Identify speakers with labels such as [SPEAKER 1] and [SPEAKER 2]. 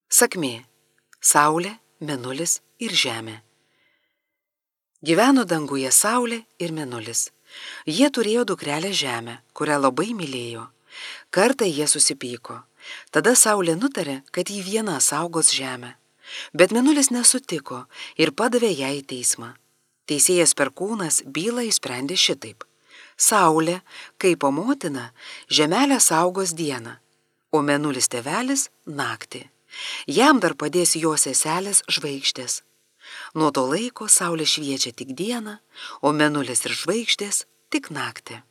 [SPEAKER 1] Sakmė: Saulė, mėnulis ir žemė. Gyveno danguje Saulė ir mėnulis. Jie turėjo dukrelę Žemę, kurią labai mylėjo. Kartą jie susipyko. Tada Saulė nutarė, kad ji viena saugos žemę. Bet mėnulis nesutiko ir padavė ją į teismą. Teisėjas Perkūnas bylą išsprendė šitaip: Saulė, kaip motina, žemelę saugos dieną, o mėnulis tėvelis naktį. Jam dar padės jo seselės žvaigždės. Nuo to laiko Saulė šviečia tik dieną, o mėnulis ir žvaigždės tik naktį.